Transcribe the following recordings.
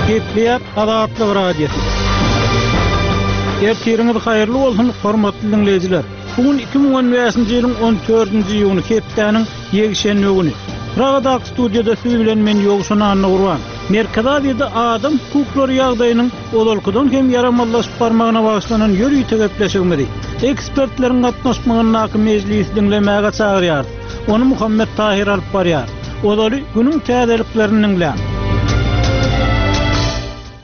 Gepleýär Azatlyk Radiosy. Ertiriňiz haýyrly bolsun, hormatly diňleýjiler! Bu gün 2015-nji ýylyň 14-nji iýuny, hepdäniň ýekşenbe güni. Pragadaky studiýada siz bilen men Ýowşan Annagurban. Merkezi Aziýada adam hukuklary ýagdaýynyň ozalkydan hem ýaramazlaşyp barmagyna bagyşlanan ýörite gepleşigimizi, ekspertleriň gatnaşmagyndaky mejlisi diňlemäge çagyrýarys. Ony Muhammet Tahyr alyp barýar. Ozaly günüň täzeliklerini diňläň.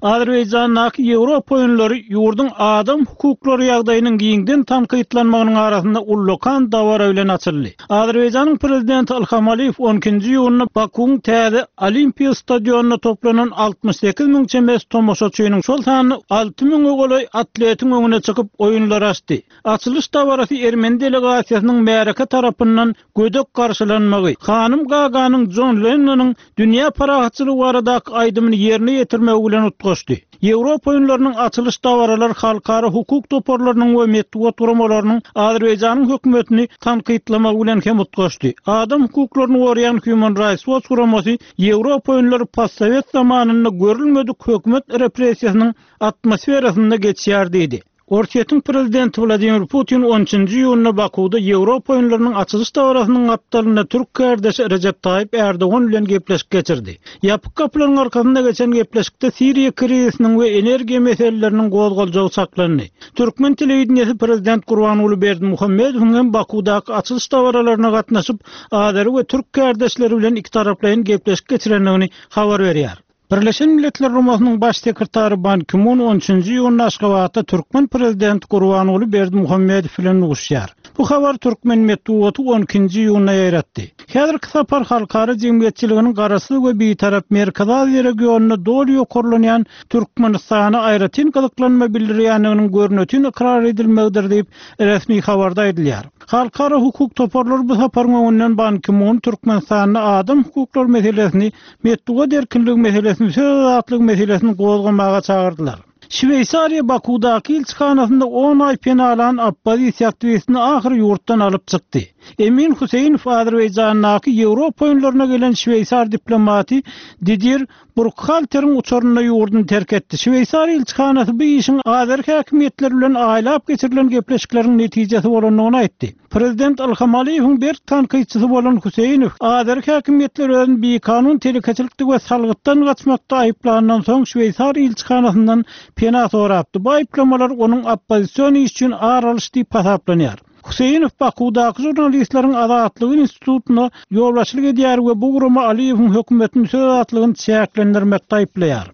Azerbaýjandaky Ýewropa oýunlary ýurduň adam hukuklary ýagdaýynyň giňden tankytlanmagynyň arasynda ullakan dabara bilen açyldy. Azerbaýjanyň Prezidenti Ilham Aliýew on ikinji iýunda Bakuwyň täze Olimpiýa stadionynda toplanan 68 müň çemesi tomaşaçynyň, şol sanda alty müňe golaý atletiň öňüne çykyp, oýunlary açdy. Açylyş dabarasy ermeni delegasiýasynyň märeke tarapyndan gödek garşylanmagy, hanym Gaganyň Jon Lennonyň dünýä parahatçylygy baradaky aýdymyny ýerine ýetirmegi bilen utgaşdy. Ýewropa oýunlarynyň açylyş dabaralary halkara hukuk toparlarynyň we metbugat guramalarynyň Azerbaýjanyň hökümetini tankytlamagy bilen hem utgaşdy. Adam hukuklaryny goraýan Human Rights Watch guramasy Ýewropa oýunlary postsowet zamanynda görülmedik hökümet repressiýasynyň atmosferasynda geçýär diýdi. Orsýetiň prezidenti Wladimir Putin on üçünji iýunda Bakuwda Ýewropa oýunlarynyň açylyş dabarasynyň gapdalynda türk kärdeşi Rejep Taýyp Ärdogan bilen gepleşik geçirdi. Ýapyk gapylaryň arkasynda geçen gepleşikde Siriýa krizisiniň we energiýa meseleleriniň gozgaljagy çaklandy. Türkmen telewideniýesi prezident Gurbanguly Berdimuhamedowyň hem Bakuwdaky açylyş dabaralaryna gatnaşyp, azeri we türk kärdeşleri bilen ikitaraplaýyn gepleşik geçirendigini habar berýär. Birleşen Milletler Guramasynyň Baş sekretary Ban Ki-mun on üçünji iýunda Aşgabatda türkmen prezidenti Gurbanguly Berdimuhamedow bilen duşuşýar. Bu habary türkmen metbugaty on ikinji iýunda ýaýratdy. Häzirki sapar halkara jemgyýetçiliginiň Garaşsyz we Bitarap Merkezi Aziýa regionynda doly ýokarlanýan Türkmenistana aýratyn gyzyklanma bildirýändiginiň görnetin ykrar edilmegidir diýip, resmi habarda aýdylýar. Halkara hukuk toparlary bu saparyň öňünden Ban Ki-mun Türkmenistanda adam hukuklary meselesini metbugat erkinligi meselesini, söz azatlygy meselesini gozgamaga çagyrdylar. Şweýsariýa Bakuwdaky ilçihanasynda on aý pena alan oppozisiýa aktiwistini ahyry ýurtdan alyp çykdy. Emin Huseýnow Azerbaýjandaky Ýewropa oýunlaryna gelen şweýsar diplomaty Didier Burkhalteriň uçarynda ýurduny terk etdi. Şweýsariýa ilçihanasy bu işiň azeri häkimiýetleri bilen aýlap geçirilen gepleşikleriň netijesi bolandygyny aýtdy. Prezident Ilham Aliýewiň berk tankytçysy bolan Huseýnow azeri häkimiýetler özüni bikanun telekeçilikde we salgytdan gaçmakda aýyplandan soň şweýsar ilçihanasyndan pena sorapdy. Bu aýyplamalar onuň oppozision iş üçin ar alyş diýip hasaplanýar. Huseýnow Bakuwdaky žurnalistleriň azatlygy institutyna ýolbaşçylyk edýär we bu gurama Aliýewiň hökümetini söz azatlygyny çäklendirmekde aýyplaýar.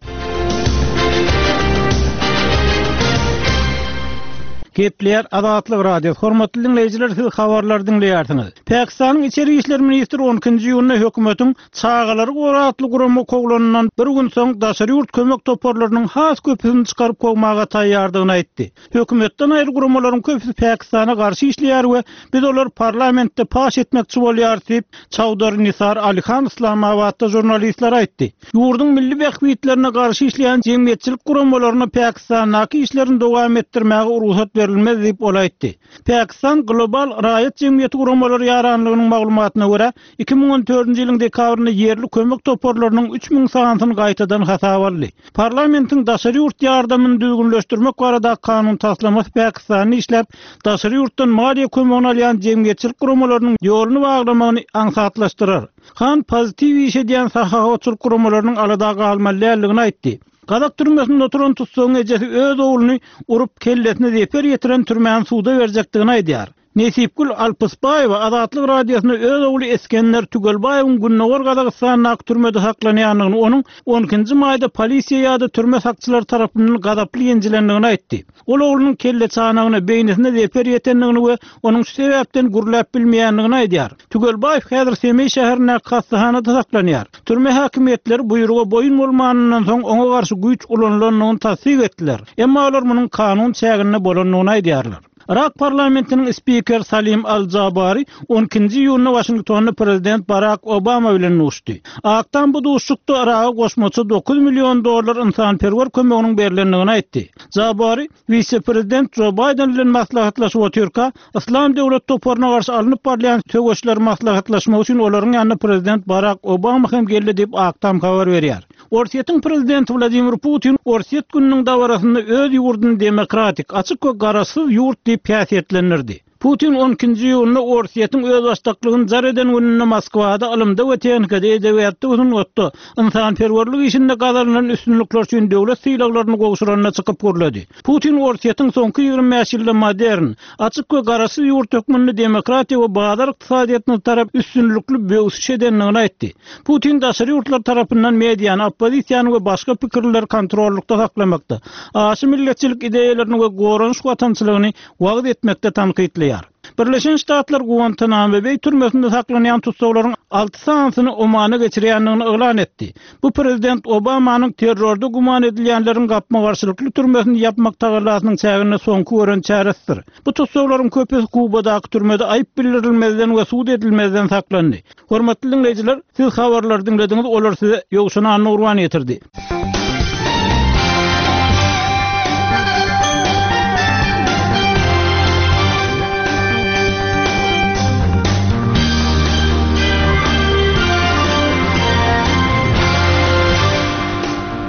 Gepleýär Azatlyk Radiosy. Hormatly diňleýjiler, siz habarlary diňleýärsiňiz. Pakistanyň içeri işler ministri on ikinji iýunda hökümetiň Çagalary gora atly gurama kowlanyndan bir gün soň daşary ýurt kömek toparlarynyň has köpüsini çykaryp kowmaga taýýardygyny aýtdy. Hökümetden aýry guramalaryň köpüsi Pakistana garşy işleýär we biz olary parlamentde paş etmekçi bolýarys diýip, Çaudhary Nisar Ali Han Yslamabatda žurnalistlere aýtdy. Ýurduň milli bähbitlerine garşy işleýän jemgyýetçilik guramalaryna Pakistandaky işlerini dowam etdirmäge rugsat berilmez diýip, ol aýtdy. Pakistan Global raýat jemgyýeti guramalary ýaranlygynyň maglumatyna görä, 2014-nji ýylyň dekabrynda ýerli kömek toparlarynyň 3000 sanysyny gaýtadan hasaba aldy. Parlamentiň daşary ýurt ýardamyny düzgünleşdirmek baradaky kanun taslamasy Pakistanda işläp, daşary ýurtdan maliýe kömegini alýan jemgyýetçilik guramalarynyň ýoluny baglamagyny aňsatlaşdyrar. Han pozitiw iş edýän sahawatçylyk guramalarynyň alada galmaly däldigini aýtdy. Gazak türmesinde oturan tussagyň ejesi öz ogluny urup, kellesine zeper ýetiren türmäni suda berjekdigini aýdýar. Nesipgül Alpysbaýewa Azatlyk Radiosyna öz ogly Esgender Tügelbaýewiň Gündogar Gazagystandaky türmede saklanýandygyny, onuň on ikinji maýda polisiýa ýa-da türme sakçylary tarapyndan gazaply ýenjilendigini aýtdy. Ol oglunyň kelleçanagyna, beýnisine zeper ýetendigini we onuň şu sebäpden gürläp bilmeýändigini aýdýar. Tügelbaýew häzir Semeý şäherindäki hassahanada saklanýar. Türme häkimiýetleri buýruga boýun bolmanyndan soň oňa garşy güýç ulanylandygyny tassyk etdiler. Emma olar munuň kanun çäginde bolandygyny aýdýarlar. Yrak parlamentiniň spikeri Salim al-Jabari on ikinji iýunda Waşingtonda prezident Barak Obama bilen duşdy. Ak Tam bu duşuşykda Yraga goşmaça 9 million dollar ynsanperwer kömeginiň berlendigini aýtdy. Jabari wise-prezident Jo Baýden bilen maslahatlaşyp otyrka, Yslam döwlet toparyna garşy alnyp barylýan söweşleri maslahatlaşmak üçin olaryň ýanyna prezident Barak Obama hem geldi diýip, Ak Tam habar berýär. Orsýetiň prezidenti Wladimir Putin Orsýet gününiň dabarasynda öz ýurduny demokratik, açyk we garaşsyz ýurt diýip häsiýetlendirdi. Putin on ikinji iýunda Orsýetiň özbaşdaklygyny jar eden gününde Moskwada ylymda we tehnikada, edebiýatda we sungatda, ynsanperwerlik işinde gazanylan üstünlikler üçin döwlet sylaglaryny gowşuranda çykyp gürledi. Putin Orsýetiň soňky 25 ýylda modern, açyk we garaşsyz ýurt hökmünde demokratiýa we bazar ykdysadyýetine tarap üstünlikli böwsüş edendigini aýtdy. Putin daşary ýurtlar tarapyndan mediany, oppozisiýany we başga pikirlileri kontrollykda saklamakda, aşa milletçilik ideýalaryny we goranyş watançylygyny wagyz etmekde tankytlaýar. Birleşen Ştatlar Guantanamo Beý türmesinde saklanýan tussaglaryň alty sanysyny Omana geçirýändigini yglan etdi. Bu prezident Obamanyň terrorda güman edilýänleriň gapma-garşylykly türmesini ýapmak tagallasynyň çäginde soňky gören çäresidir. Bu tussaglaryň köpüsi Kubadaky türmede aýyp bildirilmezden we sud edilmezden saklandy. Hormatly diňleýjiler, siz habarlary diňlediňiz, olary size Ýowşan Annagurban ýetirdi.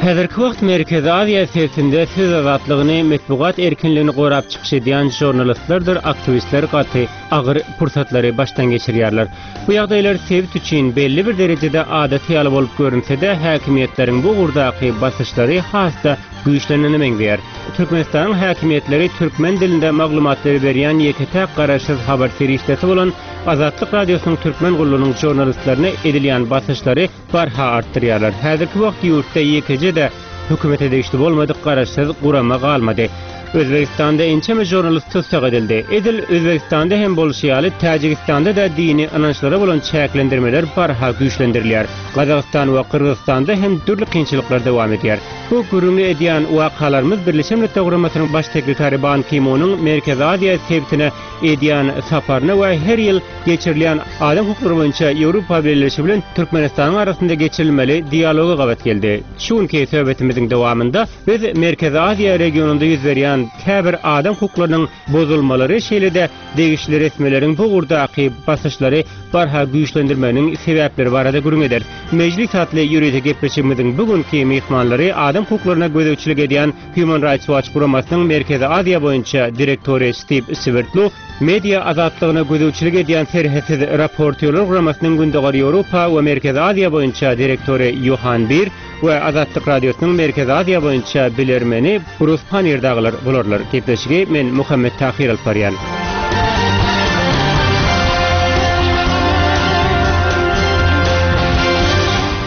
Häzirki wagt Merkezi Aziýa sebitinde söz azatlygyny, metbugat erkinligini gorap çykyş edýän žurnalistlerdir aktiwistler gaty agyr pursatlary başdan geçirýärler. Bu ýagdaýlar sebit üçin belli bir derejede adaty ýaly bolup görünse-de, häkimiýetleriň bu ugurdaky basyşlary has-da güýçlenene meňzeýär. Türkmenistanyň häkimiýetleri türkmen dilinde maglumatlary berýän ýeke-täk garaşsyz habar serişdesi bolan Azatlyk Radiosynyň Türkmen gullugynyň žurnalistlerine edilýän basyşlary barha artdyrýarlar. Häzirki wagt ýurtda ýekeje-de hökümete degişli bolmadyk garaşsyz gurama galmady. Özbegistanda ençeme žurnalist tussag edildi. Edil Özbegistanda hem bolşy ýaly, Täjigistanda-da dini ynançlara bolan çäklendirmeler barha güýçlendirilýär. Gazagystan we Gyrgyzystanda hem dürli kynçylyklar dowam edýär. Bu gürrüňini edýän wakalarymyz Birleşen Milletler Guramasynyň Baş sekretary Ban Ki-munyň Merkezi Aziýa sebitine edýän saparyna we her ýyl geçirilýän adam hukuklary boýunça Ýewropa Bileleşigi bilen Türkmenistanyň arasynda geçirilmeli dialoga gabat geldi. Şu günki söhbetimiziň dowamynda biz Merkezi Aziýa regionynda ýüz berýän käbir adam hukuklarynyň bozulmalary, şeýle-de degişli resmileriň bu ugurdaky basyşlary barha güýçlendirmeginiň sebäpleri barada gürrüň ederis. Mejlis atly ýörite gepleşigimiziň bu günki myhmanlary adam hukuklaryna gözegçilik edýän Human Rights Watch guramasynyň Merkezi Aziýa boýunça direktory Stiw Swerdlow, media azatlygyna gözegçilik edýän Serhetsiz raportýorlar guramasynyň Gündogar Ýewropa we Merkezi Aziýa boýunça direktory Ýohan Bir we Azatlyk Radiosynyň Merkezi Aziýa boýunça bilermeni Brus Pannier dagylar bolarlar. Gepleşigi men Muhammet Tahyr alyp barýan.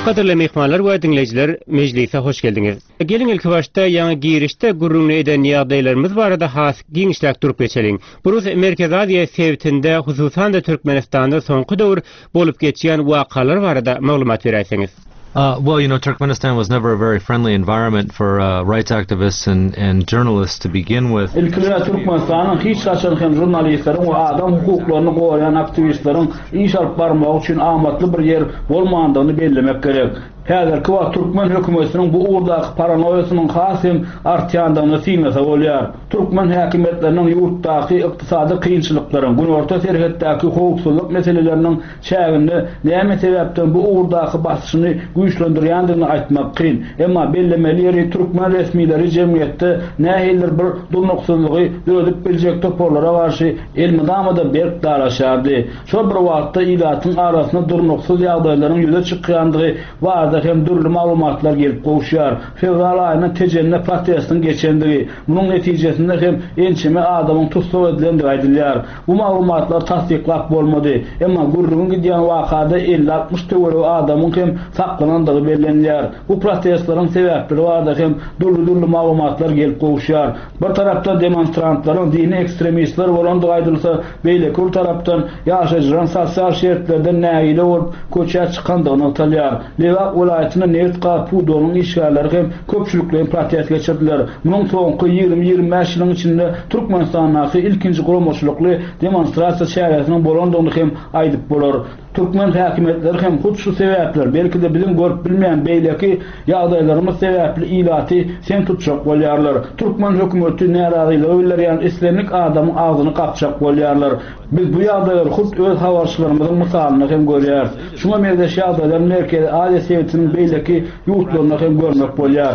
Gadyrly myhmanlar we diňleýjiler, mejlise hoş geldiňiz. Geliň ilkibaşda ýaňy girişde gürrüňini eden ýagdaýlarymyz barada has giňişläk durup geçeliň. Brus Merkezi Aziýa sebitinde, hususan-da Türkmenistanda soňky döwür bolup geçýän wakalar barada maglumat beräýseňiz. Well, you know, Turkmenistan was never a very friendly environment for rights activists and and journalists to begin with. Ilki bilen Türkmenistanyň hiç haçan hem žurnalistleriň we adam hukuklaryny goraýan aktiwistleriň iş alyp barmagy üçin amatly bir ýer bolmandygyny bellemek gerek. Häzirki wagt türkmen hökümetiniň bu ugurdaky paranoýasynyň has hem artýandygyny synlasa bolýar. Türkmen häkimiýetleriniň ýurtdaky ykdysady kynçylyklaryň, günorta serhetdäki howpsuzlyk meseleleriniň çäginde näme sebäpden bu ugurdaky basyşyny güýçlendirýändigini aýtmak kyn. Emma bellemeli ýeri türkmen resmileri jemgyýetde nähilidir bir durnuksyzlygy döredip biljek toparlara garşy elmydama-da berk dalaşýardy. Şol bir wagtda ilatyň arasynda durnuksyz ýagdaýlaryň ýüze çykýandygy barada hem dürli maglumatlar gelip gowuşýar. Fewral aýynda Tejende protestiň geçendigi, munuň netijesinde hem ençeme adamyň tussag edilendigi aýdylýar. Bu maglumatlary tassyklap bolmady. Emma gürrüňi gidýän wakada 50-60 töweregi adamyň hem saklanandygy. başlanandygy bellenilýär. Bu protestleriň sebäpleri barada hem dürli-dürli maglumatlar gelip gowuşýar. Bir tarapdan demonstrantlaryň dini ekstremistler bolandygy aýdylsa, beýleki bir tarapdan ýaşaýjylaryň sosial şertlerden nägile bolup köçä çykandygy nygtalýar. Lebap welaýatynda nebit-gaz pudagynyň işgärleri hem köpçülikleýin protest geçirdiler. Munuň soňky 20-25 ýylyň içinde Türkmenistandaky ilkinji guramaçylykly demonstrasiýa çäresiniň bolandygyny hem aýdyp bolar. Türkmen häkimiýetleri hem hut şu sebäpler, belki-de biziň görüp bilmeýän beýleki ýagdaýlarymyz sebäpli ilaty sem tutjak bolýarlar. Türkmen hökümeti närazylygy bildirýän islendik adamyň agzyny gapjak bolýarlar. Biz bu ýagdaýlary hut öz habarçylarymyzyň mysalynda hem görýäris. Şuňa meňzeş ýagdaýlary Merkezi Aziýa sebitiniň beýleki ýurtlarynda hem görmek bolýar.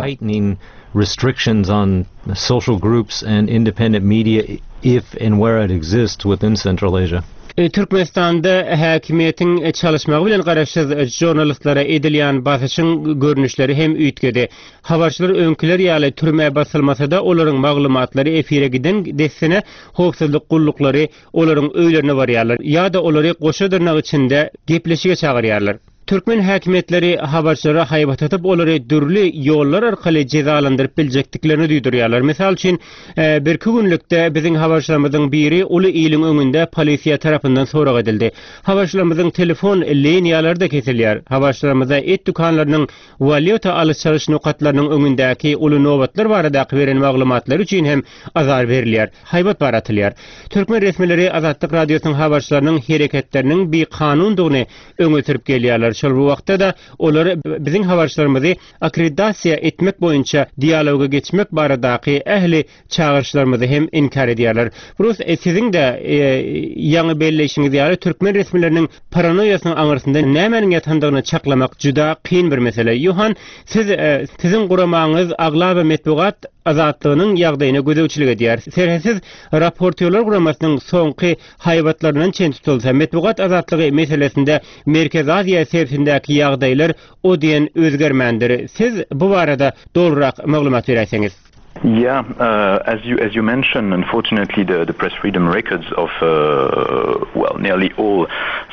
restrictions on social groups and independent media if and where it exists within Central Asia. Türkmenistanda häkimiýetiň çalyşmagy bilen garaşsyz žurnalistlere edilýän basyşyň görnüşleri hem üýtgedi. Habarçylar öňküler ýaly türmä basylmasa-da, olaryň maglumatlary efire giden dessine howpsuzlyk gulluklary olaryň öýlerine barýarlar ýa-da olary goşa dyrnak içinde gepleşige çagyrýarlar. Türkmen häkimiýetleri habarçylara haýbat atyp, olary dürli ýollar arkaly jezalandyryp biljekdiklerini duýdurýarlar. Mysal üçin, birki günlükde biziň habarçylarymyzyň biri uly iliň öňünde polisiýa tarapyndan sorag edildi. Habarçylarymyzyň telefon liniýalary-da kesilýär. Habarçylarymyza et dükanlarynyň walýuta alyş-çalyş nokatlarynyň öňündäki uly nobatlar baradaky beren maglumatlary üçin hem azar berilýär, haýbat bar atylýar. Türkmen resmileri Azatlyk Radiosynyň habarçylarynyň hereketleriniň bikanundygyny öňe sürüp gelýärler. Şol bir wagtda-da, olar biziň habarçylarymyzy akkreditasiýa etmek boýunça dialoga geçmek baradaky ähli çagyryşlarymyzy hem inkär edýärler. Brus, siziň-de ýaňy belleýşiňiz ýaly, türkmen resmileriniň paranoýasynyň aňyrsynda nämäniň ýatandygyny çaklamak juda kyn bir mesele. Ýohan, siz, siziň guramaňyz aglaba metbugat azatlygynyň ýagdaýyna gözegçilik edýär. Serhetsiz raportýorlar guramasynyň soňky haýbatlaryndan çen tutulsa, metbugat azatlygy meselesinde Merkezi Aziýa sebitindäki ýagdaýlar o diýen özgermändir. Siz bu barada dolurak maglumat beräýseňiz. Yeah, as you as you mentioned, unfortunately the the press freedom records of well nearly all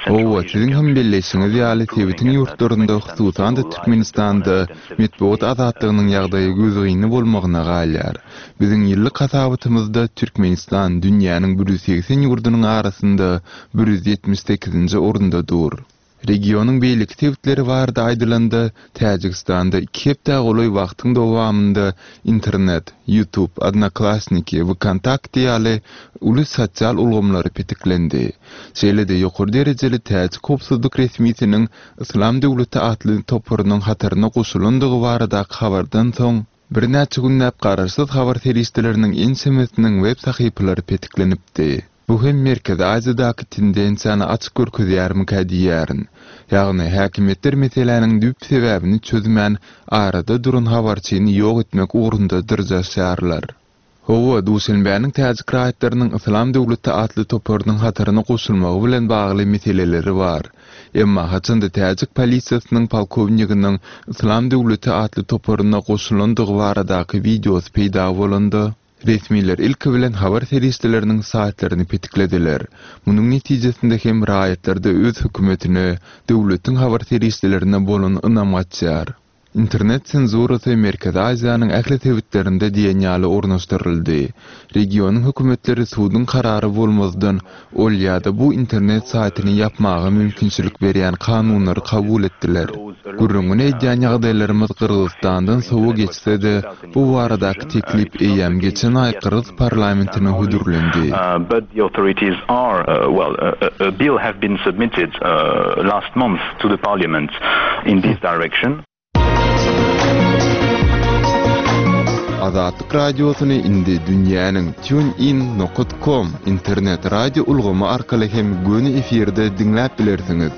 Central Hawa, Asian siziň hem countries belleýşiňiz are ýaly, improving sebitiň and ýurtlarynda, Turkmenistan hususan-da is one of the Türkmenistanda lagger behind metbugat azatlygynyň ýagdaýy gözgyny bolmagyna galýar. Biziň ýyllyk hasabatymyzda Türkmenistan dünýäniň 180 ýurdunyň arasynda 178-nji orunda dur. Regionyň beýleki sebitleri barada aýdylanda, Täjigistanda iki hepdä golaý wagtyň dowamynda internet, YouTube, Odnoklassniki, VKontakte ýaly uly sosial ulgamlary petiklendi. Şeýle-de ýokary derejeli täjik howpsuzlyk resmisiniň Yslam döwleti atly toparynyň hataryna goşulandygy baradaky habardan soň, Birnäçe günläp garaşsyz habar serişdeleriniň ençemesiniň web sahypalary petiklenipdi. Bu hem Merkezi Aziýadaky tendensiýany açyk görkezýärmikä diýýärin. Ýagny, häkimiýetler meseläniň düýp sebäbini çözmän, arada duran habarçyny ýok etmek ugrunda dyrjaşýarlar. Hawa, Duşenbäniň täjik raýatlarynyň Yslam döwleti atly toparynyň hataryna goşulmagy bilen bagly meseleleri bar. Emma haçanda täjik polisiýasynyň polkowniginiň Yslam döwleti atly toparyna goşulandygy baradaky wideosy peýda bolanda, resmiler ilki bilen habar serişdeleriniň saýtlaryny petiklediler. Munuň netijesinde hem raýatlarda öz hökümetine, döwletiň habar serişdelerine bolan ynam gaçýar. Internet senzurasy Merkezi Aziýanyň ähli sebitlerinde diýen ýaly ornaşdyryldy. Regionyň hökümetleri suduň karary bolmazdan ol ýa-da bu internet saýtyny ýapmaga mümkinçilik berýän kanunlary kabul etdiler. Gürrüňini edýän ýagdaýlarymyz Gyrgyzystandan sowa geçse-de, bu baradaky teklip eýýäm geçen aý gyrgyz parlamentine hödürlendi. To the parliament in this direction. Azatlyk Radiosyny indi dünýäniň TuneIn nokat kom internet radio ulgamy arkaly hem göni efirde diňläp bilersiňiz.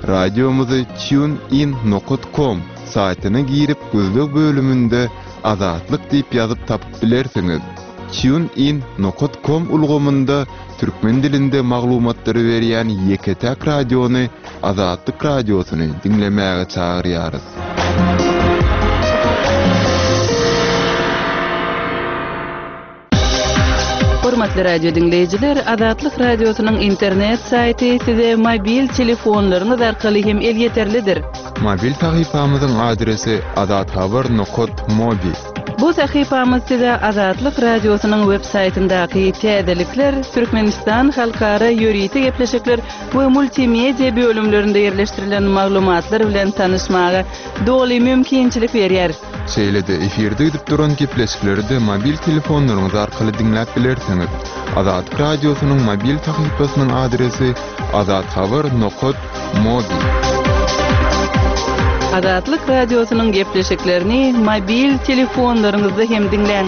Radiomyzy TuneIn nokat kom saýtyna girip gözleg bölüminde Azatlyk diýip ýazyp tapyp bilersiňiz. TuneIn nokat kom ulgamynda türkmen dilinde maglumatlary berýän ýeke-täk radiony Azatlyk Radiosyny diňlemäge çagyrýarys. Hormatly radio diňleýjiler, Azatlyk Radiosynyň internet saýty size mobil telefonlaryňyz arkaly hem elýeterlidir. Mobil sahypamyzyň adresi azathabar nokat mobi. Bu sahypamyz size Azatlyk Radiosynyň web saýtyndaky täzelikler, Türkmenistan halkara ýörite gepleşikler we multimedia bölümlerinde ýerleşdirilen maglumatlar bilen tanyşmaga doly mümkinçilik berýär. Şeýle-de efirde gidip duran gepleşikleri-de mobil telefonlaryňyz arkaly diňläp bilersiňiz. Azatlyk Radiosynyň mobil sahypasynyň adresi azathabar nokat mobi. Azatlyk Radiosynyň gepleşiklerini mobil telefonlaryňyzda hem diňläň.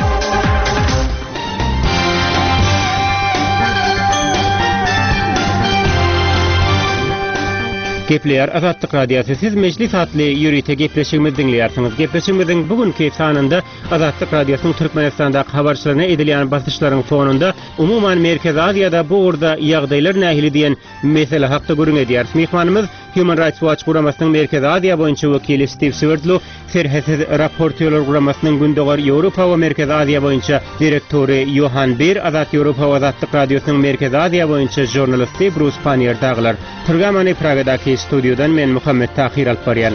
Gepleýär Azatlyk Radiosy. Siz Mejlis atly ýörite gepleşigimizi diňleýärsiňiz. Gepleşigimiziň bu günki sanynda Azatlyk Radiosynyň Türkmenistandaky habarçylaryna edilýän basyşlaryň fonunda, umuman Merkezi Aziýada bu ugurda ýagdaýlar nähili diýen mesele hakda gürrüň edýäris. Myhmanymyz Human Rights Watch guramasynyň Merkezi Aziýa boýunça wekili Stiw Swerdlow, Serhetsiz raportýorlar guramasynyň Gündogar Ýewropa we Merkezi Aziýa boýunça direktory Ýohan Bir, Azat Ýewropa we Azatlyk Radiosynyň Merkezi Aziýa boýunça žurnalisti Brus Panniýer dagylar. Programmany Pragadaky studiýadan men Muhammet Tahyr alyp barýan.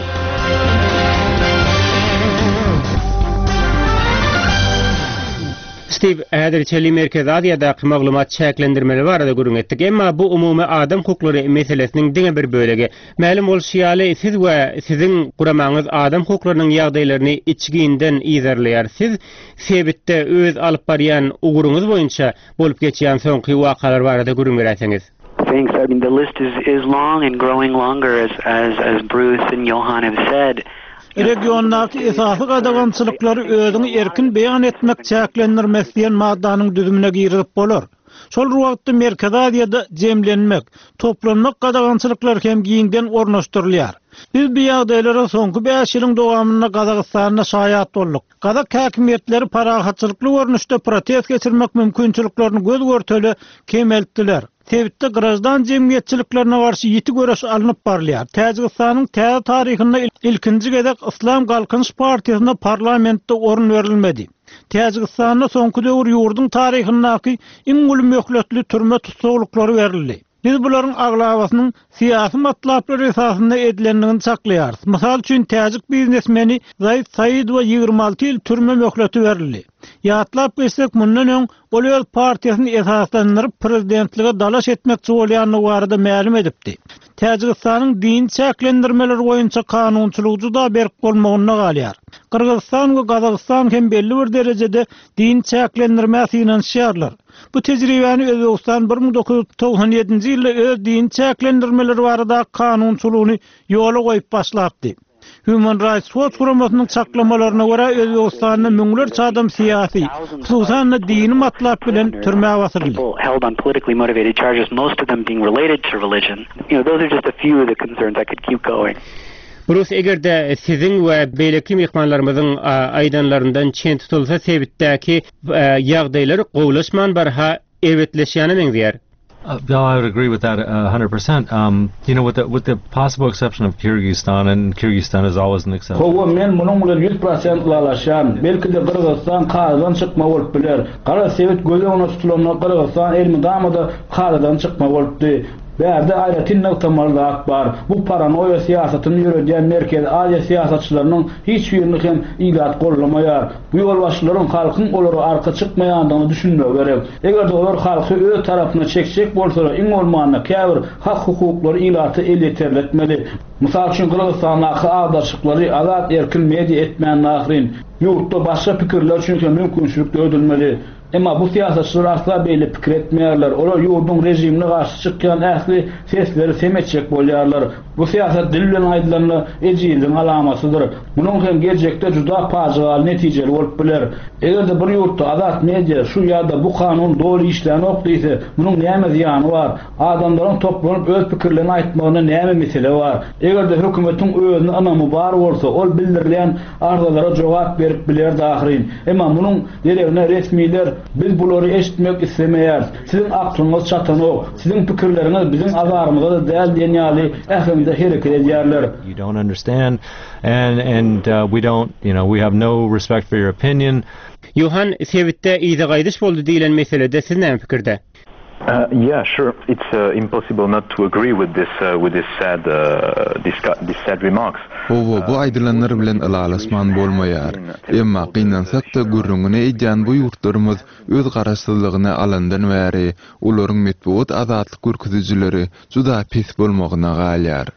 Stiw, häzir çenli Merkezi Aziýadaky maglumat çäklendirmeleri barada gürrüň etdik. Emma bu umumy adam hukuklary meselesiniň diňe bir bölegi. Mälim bolşy ýaly, siz we siziň guramaňyz adam hukuklarynyň ýagdaýlaryny içginden yzarlaýar. Siz sebitde öz alyp barýan ugruňyz boýunça bolup geçýän soňky wakalar barada gürrüň beräýseňiz. Thanks. I mean the list is is long and growing longer as as as Bruce and Johan have said. Regiondaky esasy gadagançylyklary özüňi erkin beýan etmek çäklendirmesi diýen maddanyň düzümine girizip bolar. Şol bir wagtda Merkezi Aziýada jemlenmek, toplanmak gadagançylyklary hem giňden ornaşdyrylýar. Biz bu ýagdaýlara soňky bäş ýylyň dowamynda Gazagystanda şaýat bolduk. Gazak häkimiýetleri parahatçylykly görnüşde protest geçirmek mümkinçiliklerini göz-görtele kemeltdiler. Sebitde graždan jemgyýetçiliklerine garşy ýiti göreş alnyp barylýar. Täjigistanyň täze taryhynda ilkinji gezek Yslam Galkynyş partiýasyna parlamentde orun berilmedi. Täjigistanda soňky döwür ýurduň taryhyndaky iň uly möhletli türme tussaglyklary berildi. Biz bularyň aglabasynyň syýasy matlaplar esasynda edilendigini çaklaýarys. Mysal üçin, täjik biznesmeni Zaid Saidowa 26 ýyl türme möhleti berildi. Ýatlap geçsek, mundan öň ol öz partiýasyny esaslandyryp, prezidentlige dalaş etmekçi bolýandygy barada mälim edipdi. Täjigistanyň dini çäklendirmeler boýunça kanunçylygy juda berk bolmagynda galýar. Gyrgyzystan we Gazagystan hem belli bir derejede dini çäklendirmä synanyşýarlar. Bu tejribäni Özbegistan 1997-nji ýylda öz dini çäklendirmeler baradaky kanunçylygyny ýola goýup başlapdy. Human Rights Watch guramasynyň çaklamalaryna görä, Özbegistanda müňlerçe adam syýasy, hususan-da dini matlap bilen türmä basyldy. Brus, eger-de siziň we beýleki myhmanlarymyzyň aýdanlaryndan çen tutulsa, sebitdäki ýagdaýlar gowulaşman barha erbetleşýäne meňzeýär. No, I would agree with that 100%. Um, you know, with the, with the possible exception of Kyrgyzstan, and Kyrgyzstan is always an exception. Hawa, men munuň bilen 100% ylalaşýan. Belki-de Gyrgyzystan kadadan çykma bolup biler. Garaz, sebit göz öňünde tutulanda Gyrgyzystan elmydama-da kadadan çykma bolupdy. Bärde aýratyn nygtamaly zat bar. Bu paranoýa syýasatyny ýöredýän Merkezi Aziýa syýasatçylarynyň hiç birini hem ilat goldamaýar. Bu ýolbaşçylaryň halkyň olara arka çykmaýandygyna düşünmegi gerek. Eger-de olar halky öz tarapyna çekjek bolsalar, iň bolmanda käbir hak-hukuklary ilata elýeterli etmeli. Mysal üçin, Gyrgyzystandaky agdarşyklary azat-erkin media etmände ahyryn. Ýurtda başga pikirler üçin hem mümkinçilik döredilmeli. Emma bu syýasatçylar asla beýle pikir etmeýärler. Olar ýurduň režimine garşy çykýan ähli sesleri sem etjek bolýarlar. Bu syýasat dil bilen aýdylanda ejizligiň alamatydyr. Munuň hem geljekde juda pajygaly netijeli bolup biler. Eger-de bir ýurtda azat media şu ýa-da bu kanun doly işlänok diýse, munuň näme zyýany bar? Adamlaryň toplanyp öz pikirlerini aýtmagynda näme mesele bar? Eger-de hökümetiň özüne ynamy bar bolsa, ol bildirilýän arzalara jogap berip bilerdi ahyryn. Emma munuň deregine resmiler biz bulary eşitmek islemeýäris, siziň aklyňyz çatanok, siziň pikirleriňiz biziň azarymyza-da däl diýen ýaly äheňde hereket edýärler. You don't understand and and we don't, you know, we have no respect for your opinion. Ýohan, sebitde yza gaýdyş boldy diýlen meselede siz näme pikirde? Yeah, sure. It's impossible not to agree with this with this sad this sad remarks. Hawa, bu aýdylanlar bilen ylalaşman bolmaýar. Emma, gynansak-da, gürrüňini edýän bu ýurtlarymyz öz garaşsyzlygyny alandan bäri olaryň metbugat azatlyk görkezijileri juda pes bolmagyna galýar.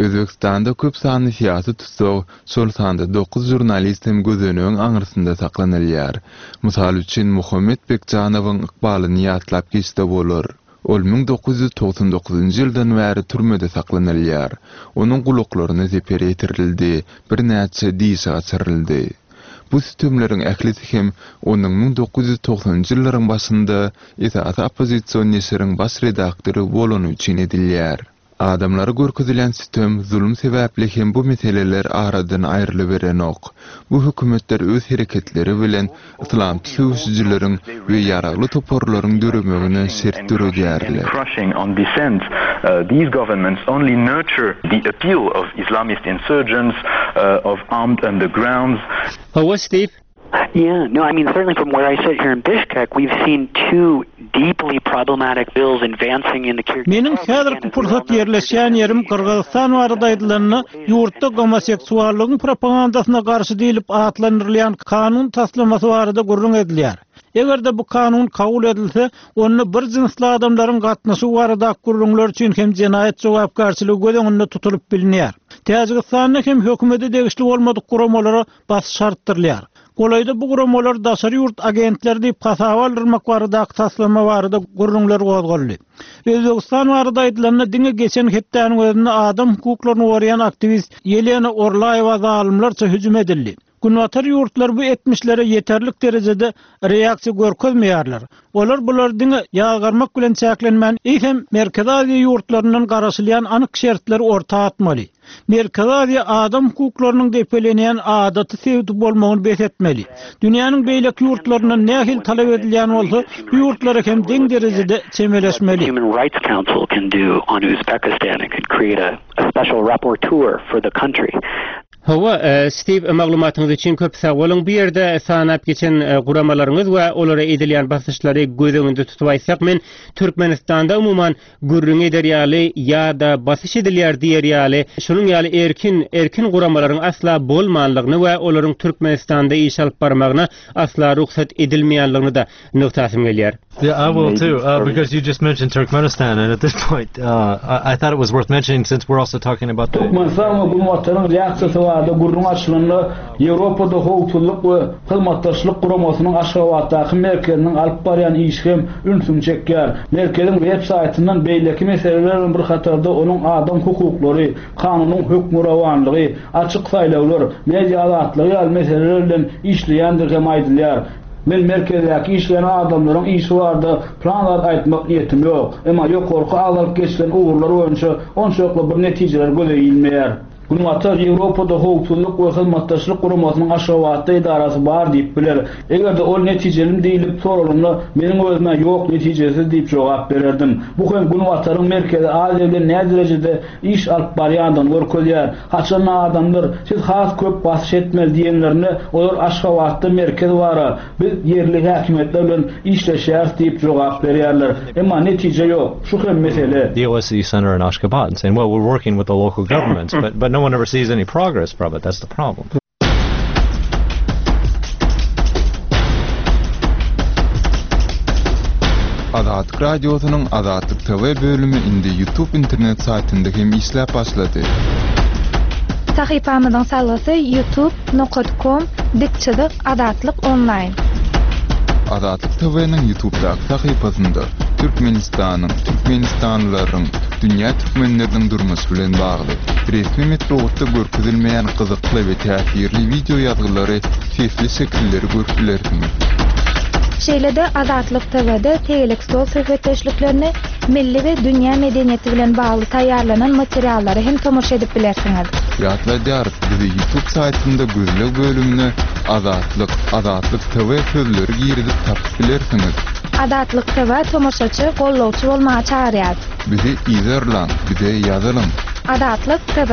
Özbegistanda köp sanly syýasy tussag, şol sanda dokuz žurnalist hem gözenegiň aňyrsynda saklanylýar. Mysal üçin, Muhammet Bekjanowyň ykbalyny ýatlap geçse bolar. Ol 1999-njy ýyldan bäri türmede saklanylýar. Onuň gulaklaryna zeper ýetirildi, birnäçe dişi gaçyryldy. Bu sütemleriň ählisi hem onuň 1990-njy ýyllaryň başynda esasy oppozision neşiriň baş redaktory bolany üçin edilýär. Adamlara görkezilýän sütem, zulum sebäpli hem bu meseleler aradan aýrylyberenok. Bu hökümetler öz hereketleri bilen yslamçy söweşijileriň we ýaragly toparlaryň döremegine şert döredýärler. Hawa, Steve, Yeah, no, I mean, certainly from where I sit here in Bishkek, we've seen two deeply problematic bills advancing in the Kyrgyz Meniň häzirki pursat ýerleşýän ýerim Gyrgyzystan barada aýdylanda, ýurtda gomoseksuallygyň propagandasyna garşy diýlip atlandyrylýan kanun taslamasy barada gürrüň edilýär. Eger-de bu kanun kabul edilse, onda bir jynsly adamlaryň gatnaşygy baradaky gürrüňler üçin hem jenaýat jogapkärçiligi göz öňünde tutulyp bilinýär. Täjigistanda hem hökümete degişli bolmadyk guramalara basyş artdyrylýar. Golaýda bu guramalar daşary ýurt agentleri diýip hasaba aldyrmak baradaky taslama barada gürrüňler gozgaldy. Özbegistan barada aýdylanda, diňe geçen hepdäniň özünde adam hukuklaryny goraýan aktiwist Ýelena Orlaýewa zalymlarça hüjüm edildi. Günbatar ýurtlary bu etmişlere ýeterlik derejede reaksiýa görkezmeýärler. Olar bulary diňe ýazgarmak bilen çäklenmän, eýsem Merkezi Aziýa ýurtlaryndan garaşylýan anyk şertleri orta atmaly. Merkezi Aziýa adam hukuklarynyň depelenýän adaty sebiti bolmagyny bes etmeli. Dünýäniň beýleki ýurtlaryndan nähili talap edilýän bolsa, bu ýurtlara hem deň derejede çemeleşmeli. Hawa, Stiw, maglumatyňyz üçin köp sag boluň. Bu ýerde sanap geçen guramalaryňyz we olara edilýän basyşlary göz öňünde tutup aýtsak, men Türkmenistanda umuman gürrüň eder ýaly ýa-da basyş edilýär diýer ýaly şunuň ýaly erkin erkin guramalaryň asla bolmanlygyny we olaryň Türkmenistanda iş alyp barmagyna asla rugsat edilmeýänligini-de nygtasym gelýär. Yeah, I will too, uh, because you just mentioned Turkmenistan, and at this point, uh, I, I thought it was worth mentioning since we're also talking about the. Türkmenistan we Günbataryň reaksiýasy barada gürrüň açylanda, Ýewropada Howpsuzlyk we Hyzmatdaşlyk Guramasynyň Aşgabatdaky merkeziniň alyp barýan işi hem ünsüňi çekýär. Merkeziň web saýtyndan beýleki meseleler bilen bir hatarda onuň adam hukuklary, kanunyň hökmürowanlygy, açyk saýlawlar, media azatlygy ýaly meseleler bilen işleýändigi hem aýdylýar. Men merkezdäki işleýän adamlaryň işi barada plan zat aýtmak niýetim ýok. Emma ýokarky agzalyp geçilen ugurlar boýunça onçakly bir netijeler göze ilmeýär. Günbatar Ýewropada Howpsuzlyk we Hyzmatdaşlyk Guramasynyň Aşgabatda edarasy bar diýip biler. Eger-de ol netijelimi diýlip soralanda, meniň özüm-ä ýok, netijesiz diýip jogap bererdim. Bu hem Günbataryň Merkezi Aziýa bilen näderejede iş alyp barýandygyny görkezýär. Haçanda adamlar, siz has köp basyş etmeli diýenlerinde, olar Aşgabatda merkez bar-a, Biz ýerli häkimiýetler bilen işleşýäris diýip jogap berýärler. Emma netije ýok. Şu hem mesele. The OSCE Center in Ashgabat and saying, well, we're working with the local governments, but, but no one ever sees any progress from it. That's the problem. Azatlyk Radiosynyň Azatlyk TV bölümi indi YouTube internet saýtynda hem işläp başlady. Sahypamyzyň salgysy youtube nokat kom dik çyzyk Azatlyk onlaýn. Azatlyk TV-niň Ýutubdaky sahypasynda Türkmenistanyň, türkmenistanlylaryň, dünýä türkmenleriniň durmuşy bilen bagly, resmi metbugatda görkezilmeýän gyzykly we täsirli wideo ýazgylary, sesli şekilleri görüp bilersiňiz. Şeýle-de Azatlyk TV-de tegelek stol söhbetdeşliklerini, milli we dünýä medeniýeti bilen bagly taýýarlanan materiallara hem tomaşa edip bilersiňiz. Ýatladýarys, bizi YouTube saýtynda gözleg bölümine Azatlyk, Azatlyk TV sözleri girizip tapyp bilersiňiz. Azatlyk TV tomaşaçy, gollawçy bolmaga çagyrýar. Bizi yzarlaň, bize ýazylyň. Azatlyk TV.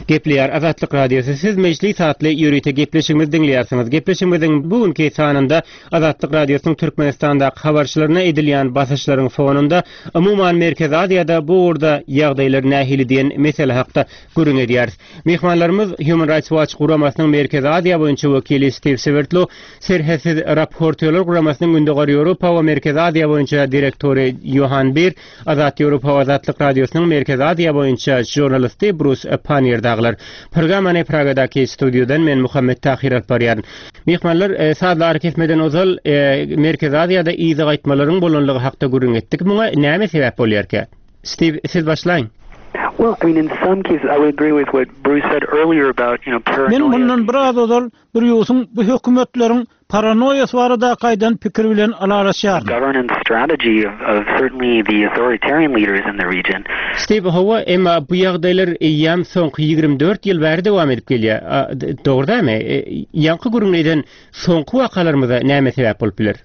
Gepleýär Azatlyk Radiosy, siz Mejlis atly ýörite gepleşigimizi diňleýärsiňiz. Gepleşigimiziň bu günki sanynda Azatlyk Radiosynyň Türkmenistandaky habarçylaryna edilýän basyşlaryň fonunda, umuman Merkezi Aziýada bu ugurda ýagdaýlar nähili diýen mesele hakda gürrüň edýäris. Myhmanlarymyz Human Rights Watch guramasynyň Merkezi Aziýa boýunça wekili Stiw Swerdlow, Serhetsiz raportýorlar guramasynyň Gündogar Ýewropa we Merkezi Aziýa boýunça direktory Ýohan Bir, Azat Ýewropa we Azatlyk Radiosynyň Merkezi Aziýa boýunça žurnalisti Brus Pannier dagylar. Programmany Pragadaky studiýadan men Muhammet Tahyr alyp barýaryn. Myhmanlar, sazly arakesmeden ozal Merkezi Aziýada yza gaýtmalaryň bolanlygy hakda gürrüň etdik. Muňa näme sebäp bolýarka? Stiw, siz başlaýyň. Well, I mean, in some cases, I would agree with what Bruce said earlier about, you know, Men mundan biraz ozal Brýusyň bu hökümetleriň paranoýasy baradaky aýdan pikiri bilen ylalaşýaryn. Governance strategy of of certainly the authoritarian leaders in the region. Stiw, Hawa, emma bu ýagdaýlar eýýäm soňky 24 ýyl bäri dowam edip gelýär. Dogry dälmi? Ýaňky gürrüňini eden soňky wakalarymyza näme sebäp bolup biler?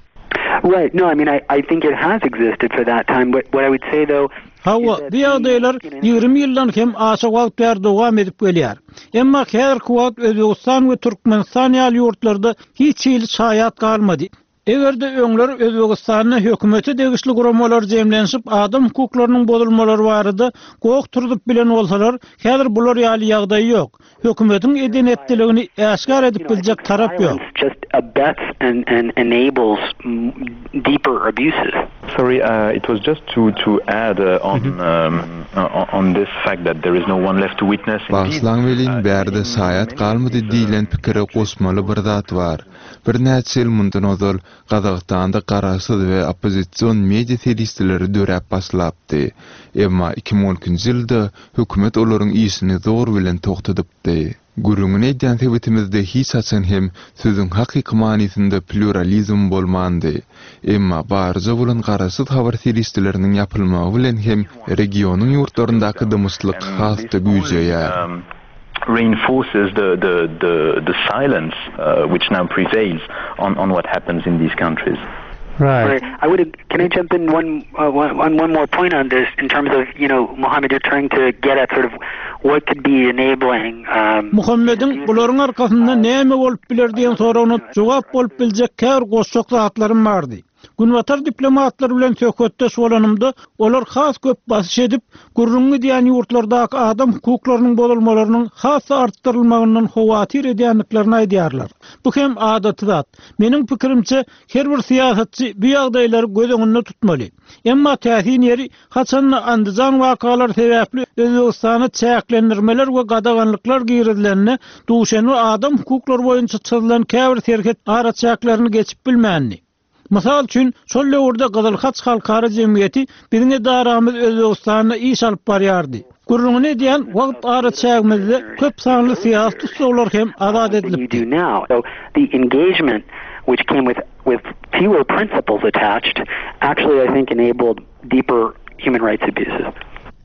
Right, no, I mean, I I think it has existed for that time, but what I would say though, Hawa, bu ýagdaýlar 20 ýyldan hem aşa wagt bäri dowam edip gelýär. Emma häzirki wagt Özbegistan we Türkmenistan ýaly ýurtlarda hiç hili şaýat galmady. Eger-de öňler Özbegistanda hökümete degişli guramalar jemlenişip adam hukuklarynyň bozulmalary barada goh turzup bilen bolsalar, häzir bular ýaly ýagdaý ýok. Hökümetiň eden-etdiligini äşgär edip biljek tarap ýok. Sorry, it was just to to add on on this fact that there is no one left to witness. Bagyşlaň welin, bärde şaýat galmady diýlen pikire goşmaly bir zat bar. Birnäçe ýyl mundan ozal Gazagystanda garaşsyz we oppozision media serişdeleri döräp başlapdy. Emma 2012-nji ýylda hökümet olaryň işini zor bilen togtadypdy. Gürrüňini edýän sebitimizde hiç haçan hem sözüň hakyky manysynda plýuralizm bolmandy. Emma barja bolan garaşsyz habar serişdeleriniň ýapylmagy bilen hem regionyň ýurtlaryndaky dymyşlyk has-da güýjeýär. reinforces the the the the silence which now prevails on on what happens in these countries. Right. I would can I jump in one uh, one one more point on this in terms of you know Muhammad you're trying to get at sort of what could be enabling um, Muhammediň bularyň arkasynda näme bolup biler diýen soragyna jogap bolup biljek käbir goşjak zatlarym bardy. Günbatar diplomatlary bilen söhbetdeş bolanymda, olar has köp basyş edip, gürrüňi gidýän ýurtlardaky adam hukuklarynyň bozulmalarynyň has-da artdyrylmagyndan howatyr edýändiklerini aýdýarlar. Bu hem adaty zat. Meniň pikirimçe, her bir syýasatçy bu ýagdaýlary göz öňünde tutmaly. Emma täsin ýeri, haçan-da Andijan wakalary sebäpli Özbegistana çäklendirmeler we gadaganlyklar girizilende, Duşenbe adam hukuklary boýunça çyzylan käbir serhet araçäklerini geçip bilmändi. Mysal üçin, şol döwürde Gyzyl Haç halkara jemgyýeti biziň edaramyz Özbegistanda iş alyp barýardy. Gürrüňini edýän wagt araçägimizde köp sanly syýasy tussaglar hem azat edilipdi.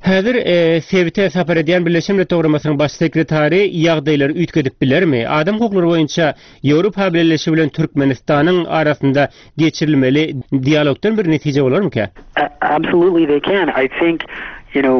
Häzir sebite sapar edýän Birleşen Milletler Guramasynyň Baş sekretary ýagdaýlary üýtgedip bilermi? Adam hukuklary boýunça Ýewropa Bileleşigi bilen Türkmenistanyň arasynda geçirilmeli dialogdan bir netije bolarmyka? Absolutely they can. I think you know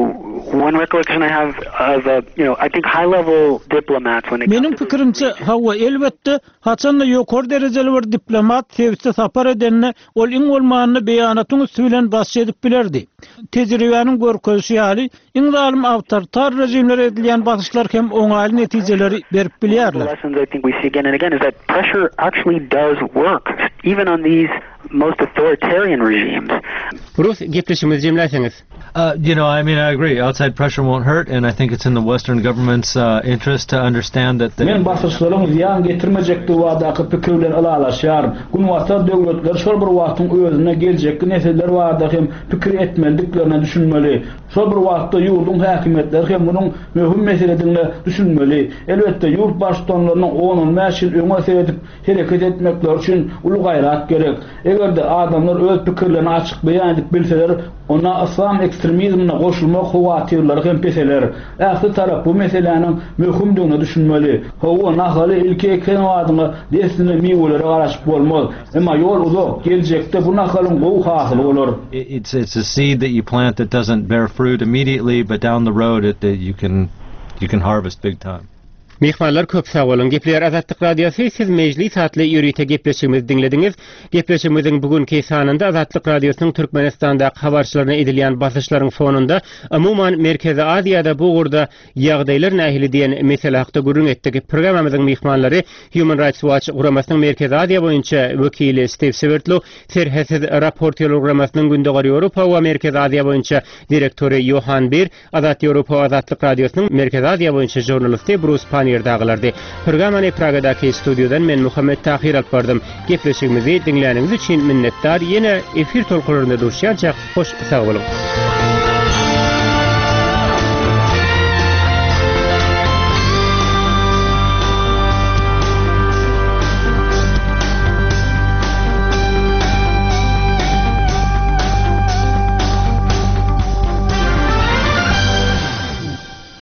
one recollection I have of a you know I think high level diplomats when it Meniň pikirimçe, hawa, elbetde, haçanda ýokary derejeli bir diplomat sebite sapar edende, ol iň bolmanda beýanatyň üsti bilen basyş edip bilerdi. Tejribäniň görkezişi ýaly, Iň zalym awtoritar režimlere edilýän basyşlar hem oňaýly netijeleri berip bilýärler. Rus, gepleşigimizi jemläýseňiz. You know, I mean, I agree. Outside pressure won't hurt, and I think it's in the Western government's interest to understand that Men basyşlaryň zyýan getirmejekdigi baradaky pikir bilen ylalaşýaryn. Günbatar döwletleri şol bir wagtyň özünde geljekki nesiller barada hem pikir etmelidiklerine düşünmeli. Şol bir wagtda ýurduň häkimiýetleri hem munuň möhüm meseledigine düşünmeli. Elbetde, ýurt baştutanlarynyň on-on bäş ýyl öňe seredip hereket etmekleri üçin uly gaýrat gerek. Eger-de adamlar öz pikirlerini açyk beýan edip bilseler, onda yslam ekstremizmine goşulmak howatyrlary hem peseler. Ähli tarap bu meseläniň möhümdigine düşünmeli. Hawa, nahaly ilki eken badyňa dessine miwelere garaşyp bolmaz. Emma ýol uzak, geljekde bu nahalyň gowy hasyly bolar. It's it's a seed that you plant that doesn't bear fruit immediately, but down the road it you can. You can harvest big time. Myhmanlar köp sag boluň. Gepleýär Azatlyk Radiosy, siz Mejlis atly ýörite gepleşigimizi diňlediňiz. Gepleşigimiziň bu günki sanynda Azatlyk Radiosynyň Türkmenistandaky habarçylaryna edilýän basyşlaryň fonunda, umuman Merkezi Aziýada bu ugurda ýagdaýlar nähili diýen mesele hakda gürrüň etdik. Programmamyzyň myhmanlary Human Rights Watch guramasynyň Merkezi Aziýa boýunça wekili Stiw Swerdlow, Serhetsiz raportýorlar guramasynyň Gündogar Ýewropa we Merkezi Aziýa boýunça direktory Ýohan Bir, Azat Ýewropa Azatlyk Radiosynyň Merkezi Aziýa boýunça žurnalisti Brus Pannier dagylardy. Programmany Pragadaky studiýadan men Muhammet Tahyr alyp bardym. Gepleşigimizi diňläniňiz üçin minnetdar. Ýene efir tolkunlarynda duşýançak hoş sag boluň.